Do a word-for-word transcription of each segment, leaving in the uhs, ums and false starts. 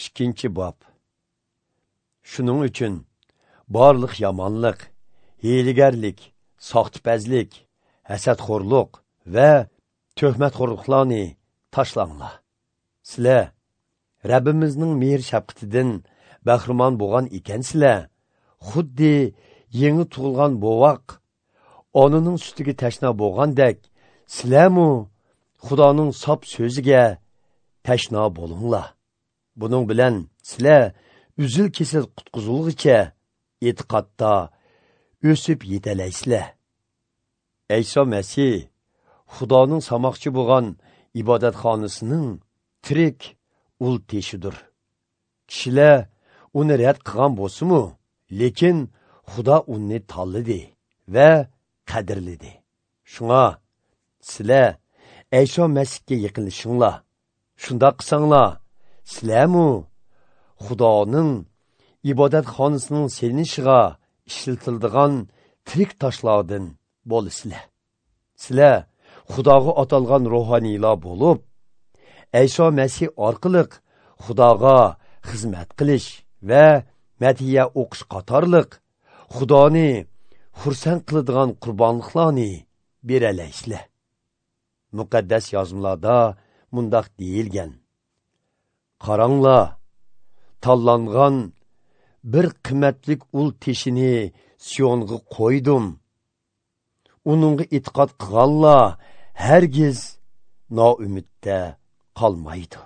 Ikkinchi bob. Shuning uchun barliq yomonlik, hiylagarlik, soxtipazlik, hasadxo'rlik va tuhmatxo'rliklarni tashlanglar. Sizlar Rabbimizning mehr shafqatidan bahramon bo'lgan ekansizlar, xuddi yangi tug'ilgan bovoq onaning sutiga tashna bo'lgandek, sizlarmu Xudoning sop so'ziga tashna bo'linglar. Buning bilan sizlar uzil kesil qutqizilg'icha e'tiqodda o'sib yetalaysizlar. Ayso Masih Xudoning samoqchi bo'lgan ibodatxonasining tirik ul teshidir. Kishilar uni rad qilgan bo'lsa-mu, lekin Xudo uni tanladi va qadrladi. Shunga sizlar Ayso Masihga yaqinlashinglar. Shundoq qilsanglar, sizlarmu Xudoning ibodatxonasining selinishiga ishlatiladigan tirik toshlardan bo'lasizlar. Sizlar Xudoga atalgan ruhoniylar bo'lib, Ayso Masih orqali Xudoga xizmat qilish va madhiya o'qish qatorliq Xudoni xursand qiladigan qurbonliqlarni beralaysizlar. Muqaddas yozmalarda mundaq deyilgan: Qaranglar, tanlangan bir qimmatlik ul teshini Siyonga qo'ydim. Uningga e'tiqod qilganlar hargiz noumidda qolmaydi.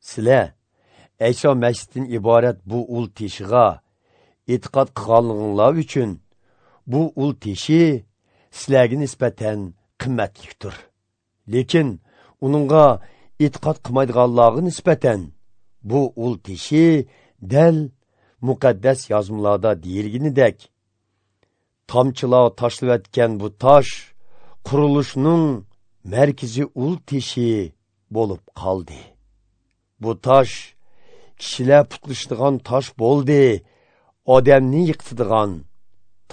Sizlar Ayso Masihdan iborat bu ul teshiga e'tiqod qilganligingiz uchun bu ul teshi sizlarga nisbatan qimmatlikdir. Lekin uningga e'tiqod qilmaydiganlarga nisbatan bu ul teshi dal muqaddas yozmalarda deyilganidek, tomchilar tashlayotgan bu tosh qurilishning markaziy ul teshi bo'lib qoldi. Bu tosh kishilar putlashadigan tosh bo'ldi, odamni yiqitadigan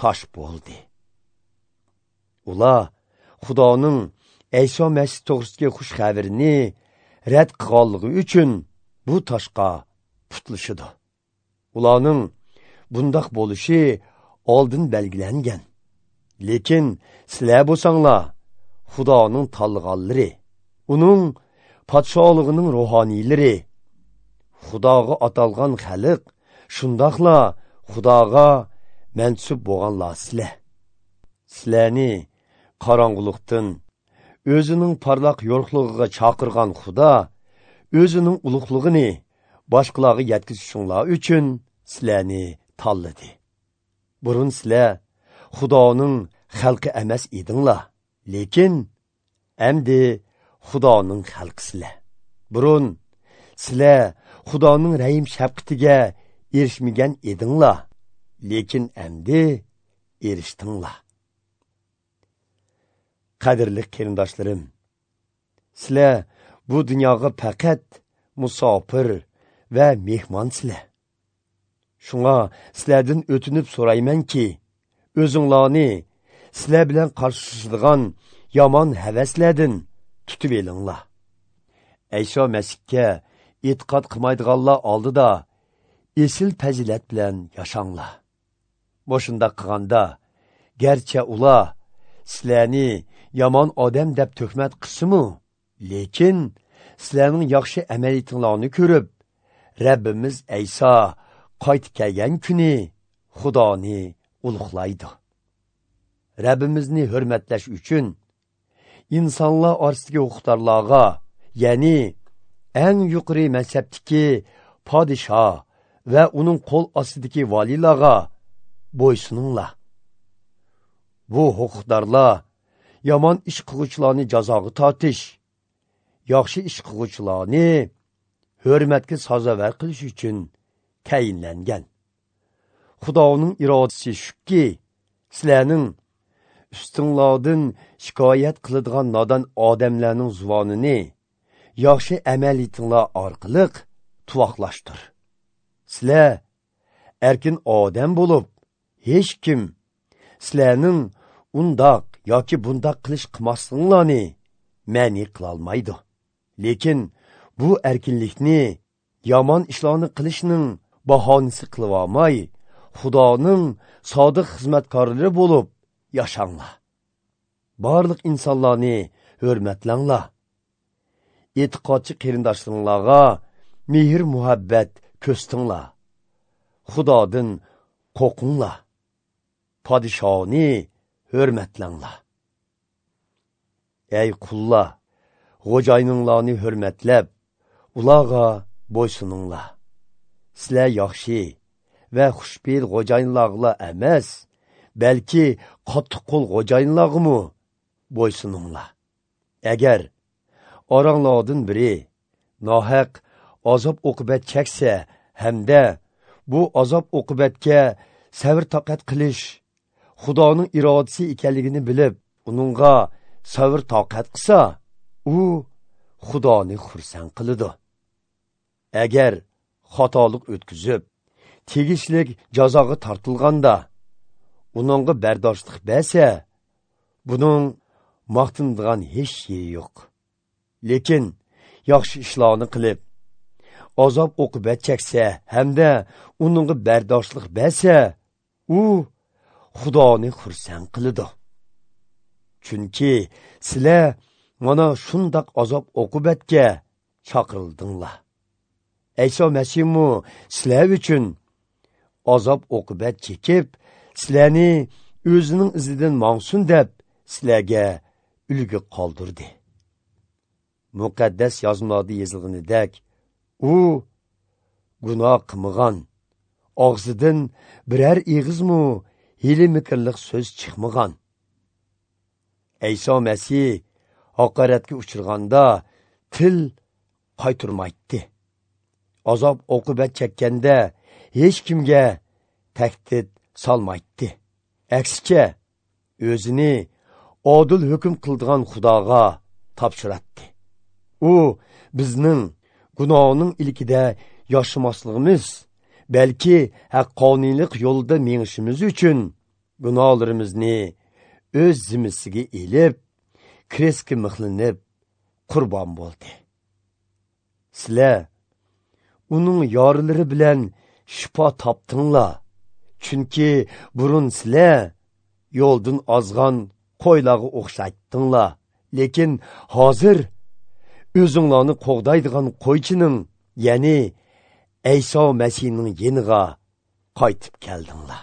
tosh bo'ldi. Ular Xudoning Ayso Masih to'g'risidagi xush xabarini rad qilganligi uchun bu toshga putlashadi. Ularning bundoq bo'lishi oldin belgilangan. Lekin sizlar bo'lsanglar, Xudoning tanlaganlari, uning podshohligining ruhoniylari, Xudoga atalgan xalq, shundoqla Xudoga mansub bo'lganlar sizlar. Sizlarni qorong'ulikdan o'zining porloq yorug'ligiga chaqirgan Xudo o'zining ulug'lig'ini boshqalarga yetkazishinglar uchun sizlarni tanladi. Burun sizlar Xudoning xalqi emas edinglar, lekin endi Xudoning xalqisizlar. Burun sizlar Xudoning rahim shafqatiga erishmagan edinglar, lekin endi erishdinglar. Qadrli qarindoshlarim, sizlar bu dunyoga faqat musofir va mehmonsizlar. Shunga sizlardan o'tinib so'raymanki, o'zinglarni sizlar bilan qarshilashadigan yomon havaslardan tutib elinglar. Ayso Masihga e'tiqod qilmaydiganlar oldida esil fazilat bilan yashanglar. Boshunda qilganda, garchi ular sizlarni yomon odam deb tuhmat qilsa-mu, lekin sizlarning yaxshi amaliyatinglarni ko'rib, Rabbimiz Ayso qaytib kelgan kuni Xudoni ulug'laydi. Rabbimizni hurmatlash uchun insonlar orasidagi huquqdorlarga, ya'ni eng yuqori mansabdagi podshoh va uning qo'l ostidagi valilarga bo'ysuninglar. Bu huquqdorlar yomon ish qiluvchilarni jazoga tortish, yaxshi ish qiluvchilarni hurmatga sazovor qilish uchun tayinlangan. Xudoning irodasi shuki, sizlarning ustinglardan shikoyat qiladigan nodon odamlarning zuvonini yaxshi amaliyatinglar orqali tuvoqlashtir. Sizlar erkin odam bo'lib, hech kim sizlarning undoq yoki bundoq qilish qilmasliginglarni ma'ni qilolmaydi. Lekin bu erkinlikni yomon ishlarni qilishning bahonasi qilib olmay, Xudoning sodiq xizmatkorlari bo'lib yashanglar. Barliq insonlarni hurmatlanglar. E'tiqodchi qarindoshlaringlarga mehr muhabbat ko'rstinglar. Xudodan qo'rqinglar. Podishoni hurmatlanglar. Ey qullar, xo'jayininglarni hurmatlab, ularga bo'ysuninglar. Sizlar yaxshi va xushpeyil xo'jayinlarga emas, balki qattiq qo'l xo'jayinlarga bo'ysuninglar. Agar oranglardan biri nohaq azob uqubat cheksa hamda bu azob uqubatga sabr toqat qilish Xudoning irodasi ekanligini bilib, uningga sabr toqat qilsa, u Xudoni xursand qiladi. Agar xatolik o'tkazib, tegishlik jazoga tortilganda, uningga bardoshlik bersa, buning maqtanadigan hech yeri yo'q. Lekin yaxshi ishlarni qilib, azob uqubat cheksa hamda uningga bardoshlik bersa, u Xudoni xursand qiladi. Chunki sizlar mana shundoq azob uqubatga chaqirildinglar. Ayso Masihmu sizlar uchun azob uqubat chekib, sizlarni o'zining izidan mangsin deb sizlarga ulgu qoldirdi. Muqaddas yozmalarda yozilganidek, u gunoh qilmagan, og'zidan biror ig'izmu hiyla-makrlik so'z chiqmagan. Ayso Masih haqoratga uchraganda til qaytarmaydi. Azob uqubat chekkanda hech kimga tahdid solmaydi. Aksicha, o'zini odil hukm qildigan Xudoga topshiradi. U bizning gunohning ilkida yashamasligimiz, balki haqqoniylik yo'lida mengishimiz uchun gunohlarimizni o'z zimmasiga elib, krestga mixlanib qurbon bo'ldi. Sizlar uning yorilari bilan shifo topdinglar, chunki burun sizlar yo'ldan ozgan qo'ylarga o'xshatdinglar. Lekin hozir o'zinglarni qo'g'daydigan qo'ychining, ya'ni Ayso Masihning yeniga qaytib keldinglar.